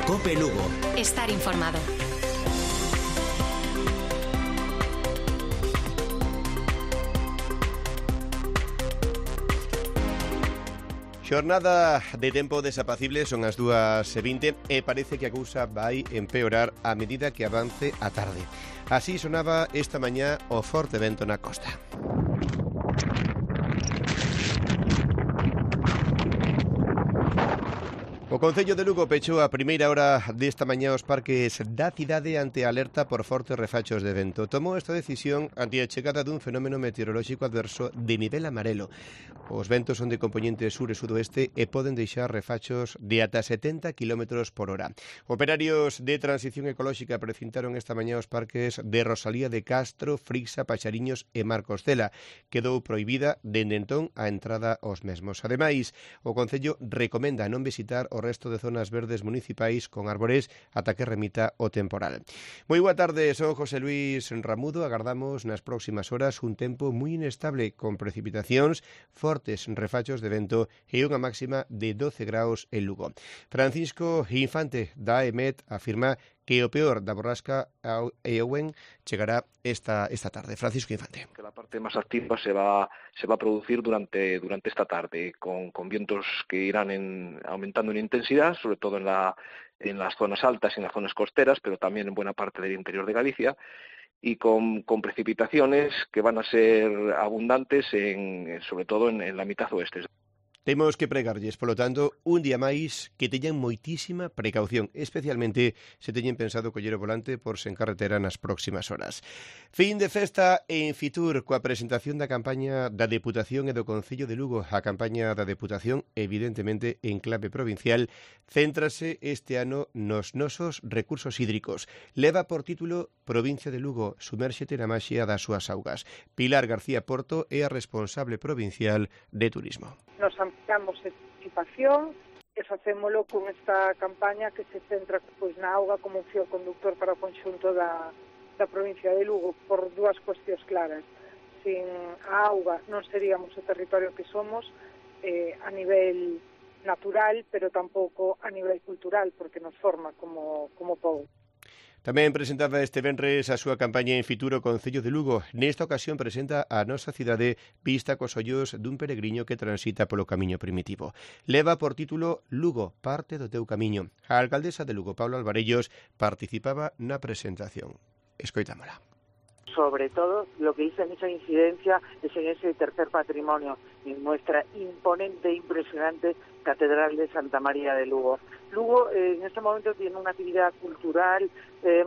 COPE Lugo. Estar informado. Xornada de tempo desapacible, son as 2:20 e parece que a cousa vai empeorar a medida que avance a tarde. Así sonaba esta mañá o forte vento na costa. O Concello de Lugo pechou a primeira hora desta mañá os parques da cidade ante a alerta por fortes refachos de vento. Tomou esta decisión ante a chegada dun fenómeno meteorolóxico adverso de nivel amarelo. Os ventos son de componente sur e sudoeste e poden deixar refachos de ata 70 km por hora. Operarios de transición ecolóxica precintaron esta mañá os parques de Rosalía de Castro, Frixa, Paxariños e Marcostela. Quedou prohibida dende entón a entrada aos mesmos. Ademais, o Concello recomenda non visitar o resto de zonas verdes municipais con árbores ata que remita o temporal. Moi boa tarde, son José Luis Ramudo. Agardamos nas próximas horas un tempo moi inestable con precipitacións, fortes refachos de vento e unha máxima de 12 graus en Lugo. Francisco Infante da EMET afirma que o peor da borrasca Eowyn chegará esta tarde. Francisco Infante. Que la parte más activa se va a producir durante esta tarde, con vientos que irán aumentando en intensidad, sobre todo en las zonas altas y en las zonas costeras, pero también en buena parte del interior de Galicia, y con precipitaciones que van a ser abundantes, sobre todo en la mitad oeste. Temos que pregarlles, polo tanto, un día máis que teñan moitísima precaución, especialmente se teñen pensado coller o volante por se en carretera nas próximas horas. Fin de festa en Fitur coa presentación da campaña da Deputación e do Concello de Lugo. A campaña da Deputación, evidentemente en clave provincial, céntrase este ano nos nosos recursos hídricos. Leva por título Provincia de Lugo, sumérxete na maxia das súas augas. Pilar García Porto é a responsable provincial de Turismo. Nos ampliamos a participación e facémolo con esta campaña que se centra na auga como un fío conductor para o conxunto da provincia de Lugo por dúas cuestións claras. Sin a auga non seríamos o territorio que somos a nivel natural, pero tampouco a nivel cultural, porque nos forma como pobo. Tamén presentaba este venres a súa campaña en Fitur o Concello de Lugo. Nesta ocasión presenta a nosa cidade vista cos ollos dun peregriño que transita polo camiño primitivo. Leva por título Lugo, parte do teu camiño. A alcaldesa de Lugo, Paula Alvarellos, participaba na presentación. Escoitámola. Sobre todo, lo que hizo en esa incidencia es en ese tercer patrimonio, en nuestra imponente e impresionante Catedral de Santa María de Lugo. Lugo en este momento tiene una actividad cultural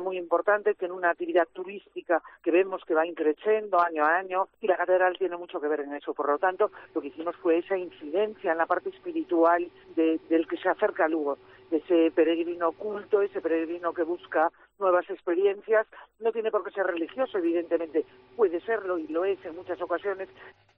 muy importante, tiene una actividad turística que vemos que va increciendo año a año y la catedral tiene mucho que ver en eso. Por lo tanto, lo que hicimos fue esa incidencia en la parte espiritual del que se acerca a Lugo, ese peregrino culto, ese peregrino que busca nuevas experiencias. No tiene por qué ser religioso, evidentemente, puede serlo y lo es en muchas ocasiones.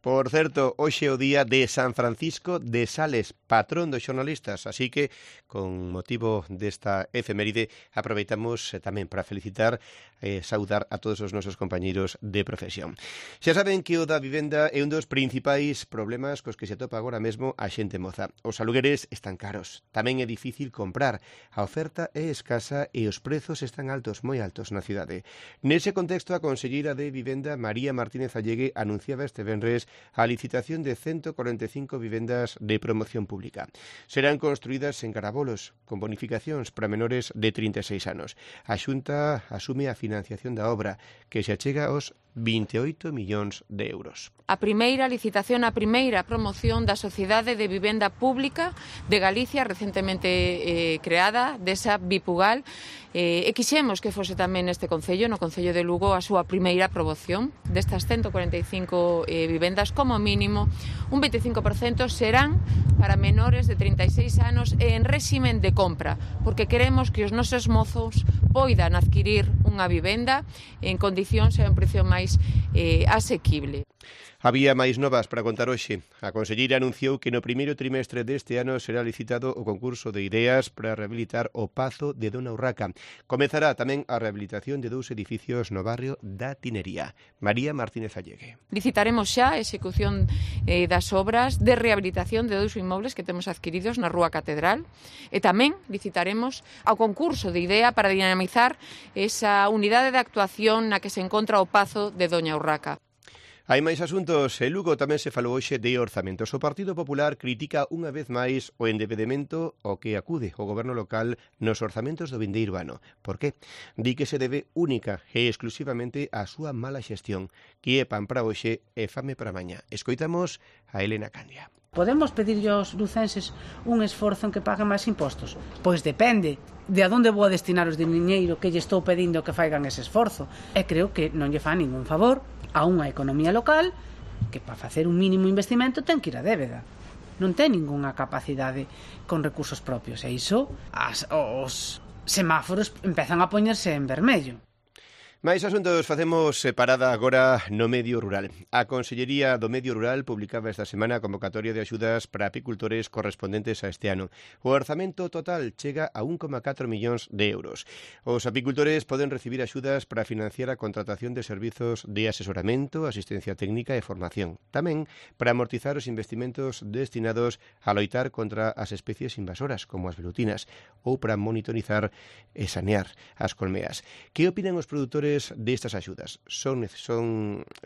Por certo, hoxe é o día de San Francisco de Sales, patrón dos xornalistas, así que, con motivo desta efeméride, aproveitamos tamén para felicitar e saudar a todos os nosos compañeiros de profesión. Xa saben que o da vivenda é un dos principais problemas cos que se atopa agora mesmo a xente moza. Os alugueres están caros, tamén é difícil comprar, a oferta é escasa e os prezos están altos, moi altos na cidade. Nese contexto, a conselleira de Vivenda, María Martínez Allegue, anunciaba este venres a licitación de 145 vivendas de promoción pública. Serán construídas en Carabolos, con bonificacións para menores de 36 anos. A Xunta asume a financiación da obra, que se achega aos 28 millóns de euros. A primeira licitación, a primeira promoción da Sociedade de Vivenda Pública de Galicia, recentemente creada, desa Bipugal, e quixemos que fose tamén neste Concello, no Concello de Lugo, a súa primeira promoción destas 145 vivendas, como mínimo, un 25% serán para menores de 36 anos e en réximen de compra, porque queremos que os nosos mozos poidan adquirir unha vivenda en condicións e a un precio máis asequible. Había máis novas para contar hoxe. A conselleira anunciou que no primeiro trimestre deste ano será licitado o concurso de ideas para rehabilitar o Pazo de Dona Urraca. Comezará tamén a rehabilitación de 2 edificios no barrio da Tinería. María Martínez Allegue. Licitaremos xa a execución das obras de rehabilitación de 2 inmobles que temos adquiridos na Rúa Catedral e tamén licitaremos ao concurso de idea para dinamizar esa unidade de actuación na que se encontra o Pazo de Doña Urraca. Hai máis asuntos. En Lugo tamén se falou hoxe de orzamentos. O Partido Popular critica unha vez máis o endebedamento ao que acude o goberno local nos orzamentos do vindeiro ano. Por qué? Di que se debe única e exclusivamente á súa mala xestión, que é pan para hoxe e fame para mañá. Escoitamos a Elena Candia. Podemos pedirlle aos lucenses un esforzo en que paguen máis impostos? Pois depende de a onde vou a destinar os diñeiro que lle estou pedindo que faigan ese esforzo. E creo que non lle fa ningún favor a unha economía local que para facer un mínimo investimento ten que ir a débeda. Non ten ningunha capacidade con recursos propios. E iso, os semáforos empezan a poñerse en vermello. Mais asuntos, facemos parada agora no medio rural. A Consellería do Medio Rural publicaba esta semana a convocatoria de axudas para apicultores correspondentes a este ano. O orzamento total chega a 1,4 millóns de euros. Os apicultores poden recibir axudas para financiar a contratación de servizos de asesoramento, asistencia técnica e formación. Tamén para amortizar os investimentos destinados a loitar contra as especies invasoras, como as velutinas, ou para monitorizar e sanear as colmeas. Que opinan os produtores destas axudas? Son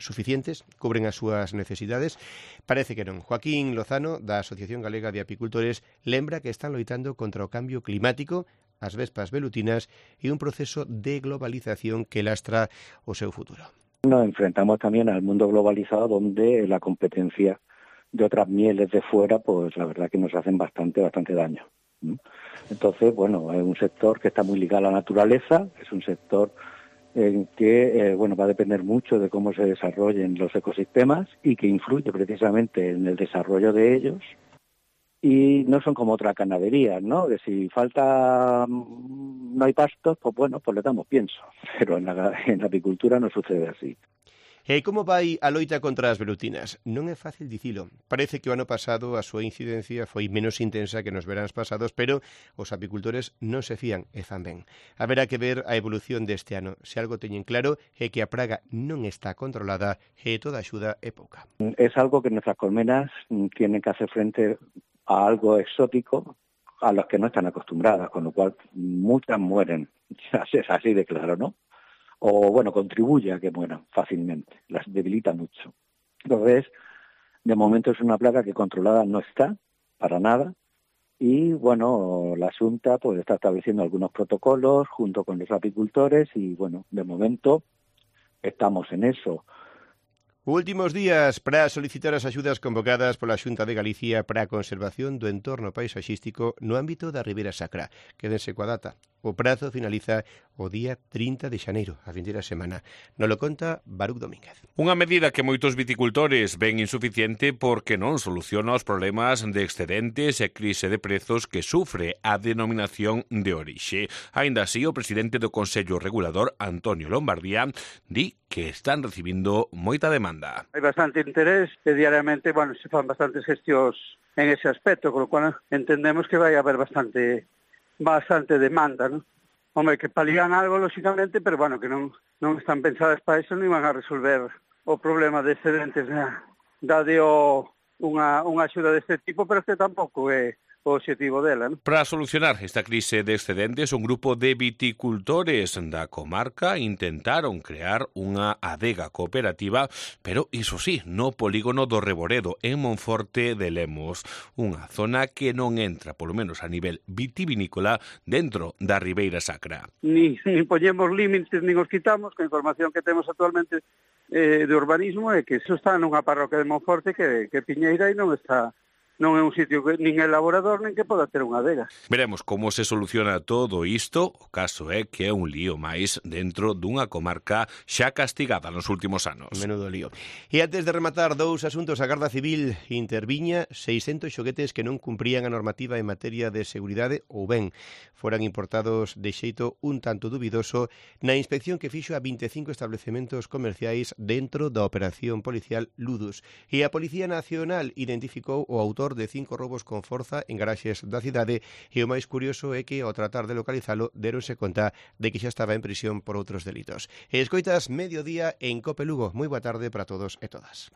suficientes? Cubren as súas necesidades? Parece que non. Joaquín Lozano, da Asociación Galega de Apicultores, lembra que están loitando contra o cambio climático, as vespas velutinas e un proceso de globalización que lastra o seu futuro. Nos enfrentamos también al mundo globalizado donde la competencia de otras mieles de fuera, pues la verdad que nos hacen bastante daño. Entonces, bueno, es un sector que está muy ligado a la naturaleza, es un sector en que va a depender mucho de cómo se desarrollen los ecosistemas y que influye precisamente en el desarrollo de ellos. Y no son como otra ganadería, ¿no? Que si no hay pastos, pues bueno, pues le damos pienso. Pero en la apicultura no sucede así. E como vai a loita contra as velutinas? Non é fácil dicilo. Parece que o ano pasado a súa incidencia foi menos intensa que nos veráns pasados, pero os apicultores non se fían e fan ben. Haberá que ver a evolución deste ano. Se algo teñen claro é que a praga non está controlada e toda axuda é pouca. Es algo que nuestras colmenas tienen que hacer frente a algo exótico a los que no están acostumbradas, con lo cual muchas mueren. Es así de claro, ¿no? O bueno, contribuye a que mueran fácilmente, las debilita mucho. Entonces, de momento es una plaga que controlada no está, para nada, y bueno, la Xunta pues está estableciendo algunos protocolos junto con los apicultores y bueno, de momento estamos en eso. Últimos días para solicitar as axudas convocadas pola Xunta de Galicia para a conservación do entorno paisaxístico no ámbito da Ribeira Sacra. Quédense coa data. O prazo finaliza o día 30 de xaneiro, a vindeira semana. Nos lo conta Baruch Domínguez. Unha medida que moitos viticultores ven insuficiente porque non soluciona os problemas de excedentes e crise de prezos que sufre a denominación de orixe. Aínda así, o presidente do Consello Regulador, Antonio Lombardía, di que están recibindo moita demanda. Hai bastante interés e diariamente, se fan bastantes gestións en ese aspecto, con lo cual entendemos que vai haber bastante demanda, ¿no? Hombre, que paligan algo, lógicamente, pero que non están pensadas para eso, non iban a resolver o problema de excedentes dade unha axuda deste tipo, pero que tampouco é o objetivo dela, ¿no? Para solucionar esta crise de excedentes, un grupo de viticultores da comarca intentaron crear unha adega cooperativa, pero iso sí, no polígono do Reboredo, en Monforte de Lemos, unha zona que non entra, polo menos a nivel vitivinícola, dentro da Ribeira Sacra. Ni poñemos límites, nin os quitamos, que a información que temos actualmente de urbanismo é que iso está nunha parroquia de Monforte que Piñeira e non está non é un sitio que nin é laborador nin que poda ter unha adega. Veremos como se soluciona todo isto. O caso é que é un lío máis dentro dunha comarca xa castigada nos últimos anos. Menudo lío. E antes de rematar, dous asuntos. A Garda Civil interviña 600 xoguetes que non cumprían a normativa en materia de seguridade ou ben foran importados de xeito un tanto dubidoso na inspección que fixo a 25 establecementos comerciais dentro da operación policial Ludus. E a Policía Nacional identificou o autor de 5 robos con forza en garaxes da cidade e o máis curioso é que ao tratar de localizalo deronse conta de que xa estaba en prisión por outros delitos. E escoitas Mediodía en Cope Lugo. Moi boa tarde para todos e todas.